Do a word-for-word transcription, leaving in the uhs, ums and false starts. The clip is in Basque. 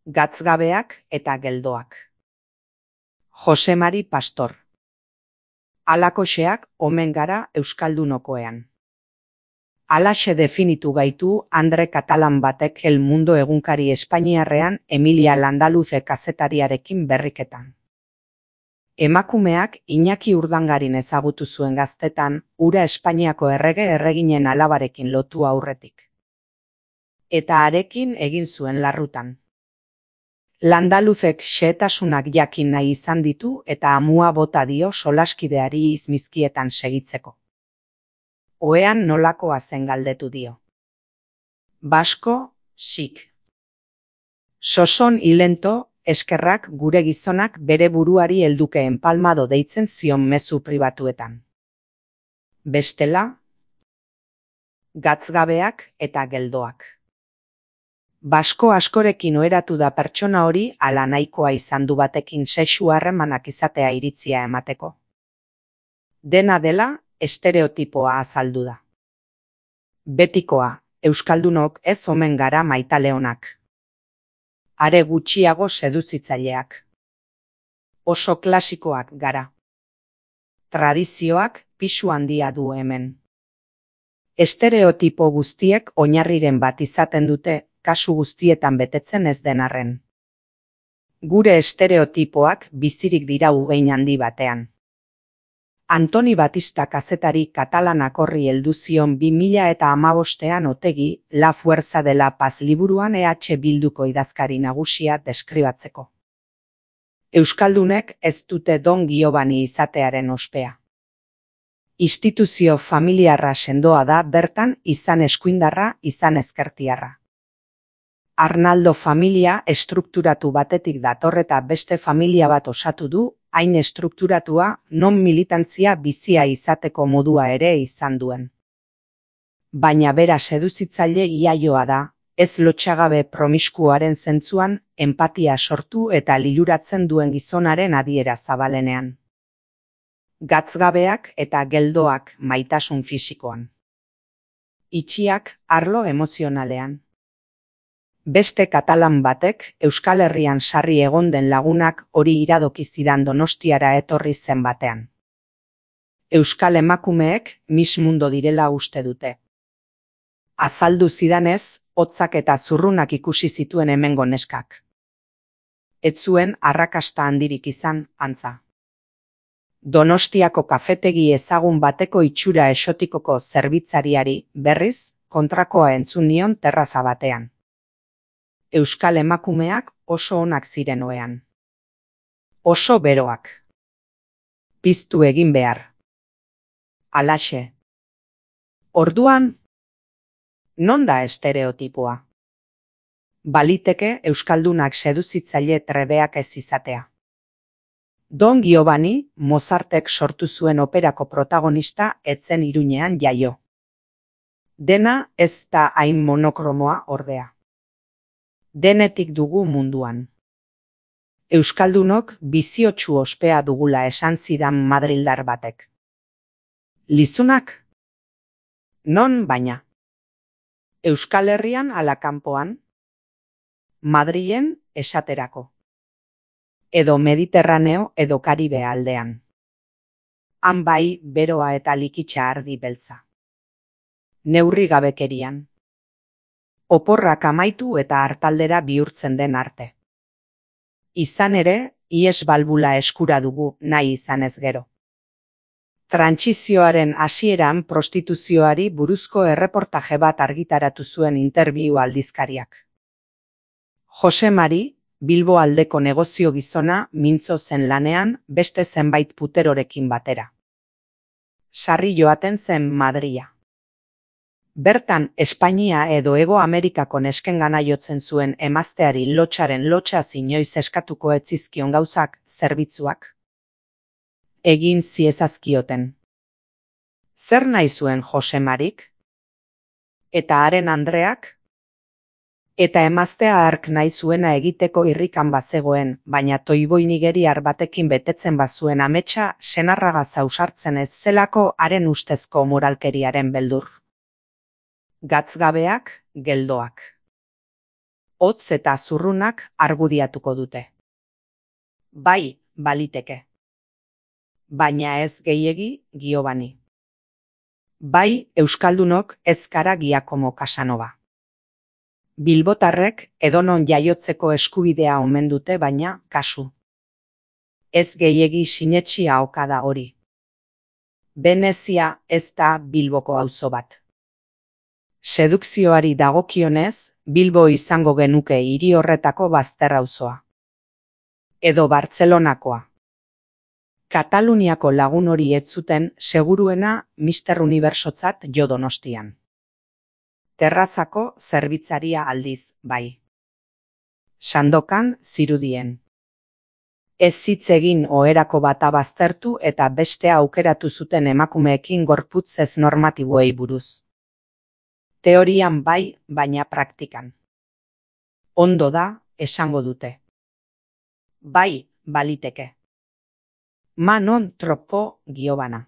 Gatzgabeak eta geldoak. Jose Mari Pastor. Alakoxeak omen gara euskaldunokoean. Alaxe definitu gaitu Andre Katalan batek El Mundo egunkari espainiarrean Emilia Landaluze kazetariarekin berriketan. Emakumeak Iñaki Urdangarin ezagutu zuen gaztetan, ura Espainiako errege erreginen alabarekin lotu aurretik. Eta harekin egin zuen larrutan. Landaluzek xehetasunak jakin nahi izan ditu eta amua bota dio solaskideari izmizkietan segitzeko. Ohean nolakoa zen galdetu dio. Basko, sik. Soson ilento, eskerrak gure gizonak bere buruari heldukeen palmado deitzen zion mezu pribatuetan. Bestela, gatzgabeak eta geldoak. Basko askorekin oheratu da pertsona hori ala nahikoa izan du batekin sexu harremanak izatea iritzia emateko. Dena dela, estereotipoa azaldu da. Betikoa, euskaldunok ez omen gara maitaleonak. Are gutxiago seduzitzaileak. Oso klasikoak gara. Tradizioak pisu handia du hemen. Estereotipo guztiek oinarriren bat izaten dute, kasu guztietan betetzen ez den arren. Gure estereotipoak bizirik dira ugein handi batean. Antoni Batista kazetari katalanak horri heldu zion bi mila eta hamabostean Otegi, La Fuerza de la Paz liburuan E H Bilduko idazkari nagusia deskribatzeko. Euskaldunek ez dute Don Giovanni izatearen ospea. Instituzio familiarra sendoa da bertan izan eskuindarra, izan ezkertiarra. Arnaldo familia estrukturatu batetik dator eta beste familia bat osatu du, hain estrukturatua non militantzia bizia izateko modua ere izan duen. Baina bera seduzitzaile iaioa da, ez lotxagabe promiskuaren zentzuan, enpatia sortu eta liluratzen duen gizonaren adiera zabalenean. Gatzgabeak eta geldoak maitasun fisikoan. Itxiak arlo emozionalean. Beste katalan batek Euskal Herrian sarri egon den lagunak hori iradoki zidan Donostiara etorri zen batean. Euskal emakumeek Miss Mundo direla uste dute. Azaldu zidanez, hotzak eta zurrunak ikusi zituen hemengo neskak. Ez zuen arrakasta handirik izan, antza. Donostiako kafetegi ezagun bateko itxura esotikoko zerbitzariari, berriz, kontrakoa entzun nion terraza batean. Euskal emakumeak oso onak ziren ohean. Oso beroak. Piztu egin behar. Alaxe. Orduan, non da estereotipoa? Baliteke euskaldunak seduzitzaile trebeak ez izatea. Don Giovanni, Mozartek sortu zuen operako protagonista etzen Iruñean jaio. Dena ez da hain monokromoa ordea. Denetik dugu munduan. Euskaldunok biziotsu ospea dugula esan zidan madrildar batek. Lizunak? Non baina? Euskal Herrian ala kanpoan? Madrilen esaterako. Edo Mediterraneo edo Karibe aldean. Han bai beroa eta likitxa ardi beltza. Neurri gabekerian. Oporrak amaitu eta hartaldera bihurtzen den arte. Izan ere, ies balbula eskura dugu nahi izanez gero. Trantsizioaren hasieran prostituzioari buruzko erreportaje bat argitaratu zuen interbiu aldizkariak. Jose Mari, Bilbo aldeko negozio gizona mintzo zen lanean beste zenbait puterorekin batera. Sarri joaten zen Madrila. Bertan Espainia edo Hego Amerikako neskengana jotzen zuen emazteari lotxaren lotxaz inoiz eskatuko etzizkion gauzak, zerbitzuak. Egin ziezazkioten. Zer nahi zuen Jose Marik? Eta haren Andreak? Eta emaztea hark nahi zuena egiteko irrikan bazegoen, baina toiboi nigeriar batekin betetzen bazuen ametsa senarraga zausartzen ez zelako haren ustezko moralkeriaren beldur. Gatzgabeak, geldoak. hotz eta zurrunak argudiatuko dute. Bai, baliteke. Baina ez gehiegi Giovanni. Bai, euskaldunok ez gara Giacomo Casanova. Bilbotarrek edonon jaiotzeko eskubidea omen dute, baina kasu. Ez gehiegi sinetsi ahoka da hori. Venezia ez da Bilboko auzo bat. Sedukzioari dagokionez, Bilbo izango genuke hiri horretako bazter auzoa. Edo Bartzelonakoa. Kataluniako lagun hori ez zuten seguruena Mister Unibertsotzat jo Donostian. Terrazako zerbitzaria aldiz, bai. Sandokan zirudien. Ez hitz egin oherako bata baztertu eta bestea aukeratu zuten emakumeekin gorputz ez normatiboei buruz. Teorian bai, baina praktikan. Ondo da, esango dute. Bai, baliteke. Ma non troppo, Giovanna.